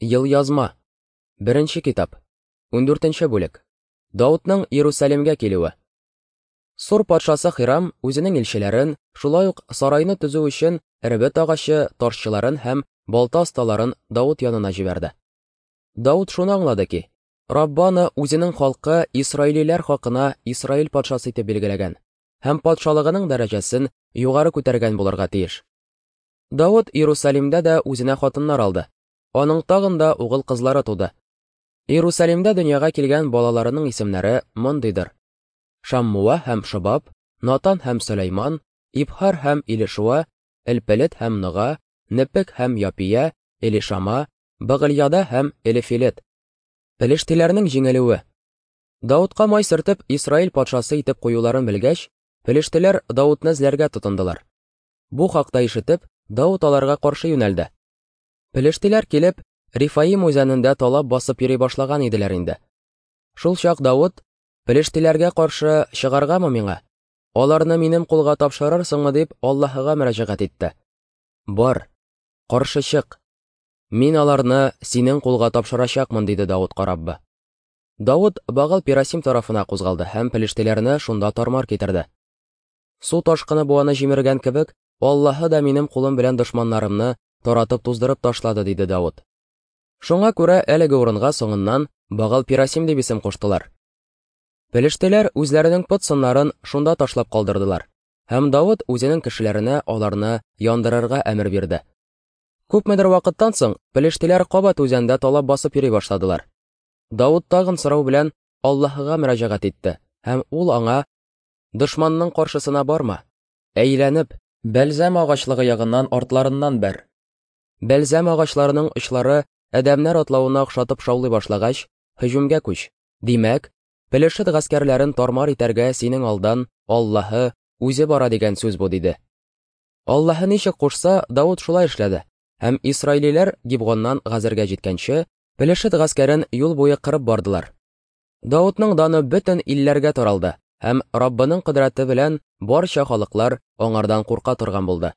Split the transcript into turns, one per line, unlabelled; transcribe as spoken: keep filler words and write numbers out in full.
Елъязма. Беренче китап. Ундүртенче бүлек. Даутның Иерусалимгә килүе. Сур патшасы Хирам үзенең илчеләрен, шулай ук сарайны төзү өчен эрбет агачы ташчыларын һәм балта осталарын Даут янына җибәрде. Даут шуны аңлады ки, Раббы аны үзенең халкы исраилиләр хакына Исраил патшасы итеп билгеләгән һәм патшалыгының дәрәҗәсен югары күтәргән булырга тиеш. Даут Иерусалимдә дә үзенә хатыннар алды. Аның тагын да угыл кызлары туды. Иерусалимдә дөньяга килгән балаларының исемнәре мондыйдыр: Шаммуа һәм Шобаб, Натан һәм Сөләйман, Ибһар һәм Илишуа, Элпелет һәм Нога, Непек һәм Япия, Элишама, Багыльяда һәм Элифилет. Пелештиләрнең җиңелүе. Даутка май сөртеп Исраил патшасы итеп куюларын белгәч, пелештиләр Даутны эзләргә тотындылар. Бу хакта ишетеп, Даут аларга каршы юнәлде. Пелештиләр килеп, Рифаим үзәнендә талап басып йөри башлаган иделәр инде. Шул чак Даут: "Пелештиләргә каршы чыгаргамы миңа? Аларны минем кулга тапшырырсыңмы?" дип Аллаһыга мөрәҗәгать итте. "Бар, каршы чык. Мин аларны синең кулга тапшырачакмын", диде Даутка Раббы. Даут Багал Пирасим тарафына кузгалды һәм пелештиләрне шунда тармар китерде. Су ташкыны буаны җимергән кебек, Аллаһы да минем кулым белән дошманнарымны таратып туздырып ташлады, диде Даут. Шуңа күрә әлеге урынга соңыннан Багал Пирасим дип исем куштылар. Пелештиләр үзләренең пот сыннарын шунда ташлап калдырдылар, һәм Даут үзенең кешеләренә аларны яндырырга әмер бирде. Күпмедер вакыттан соң пелештиләр кабат үзәндә талап басып йөри башладылар. Даут тагын сорау белән Аллаһыга мөрәҗәгать итте, һәм ул аңа: "Дошманның каршысына барма, әйләнеп, бәлзәм агачлыгы ягыннан артларыннан бәр. Бәлзәм агачларының очлары адәмнәр атлавына охшатып шаулый башлагач, һөҗүмгә күч. Димәк, Пелешет гаскәрләрен тармар итәргә синең алдан Аллаһы үзе бара дигән сүз бу", диде. Аллаһы ничек кушса, Даут шулай эшләде, һәм исраилиләр Гибгоннан Газергә җиткәнче, Пелешет гаскәрен юл буе кырып бардылар. Даутның даны бөтен илләргә таралды, һәм Раббының кодрәте белән барча халыклар аңардан курка торган булды.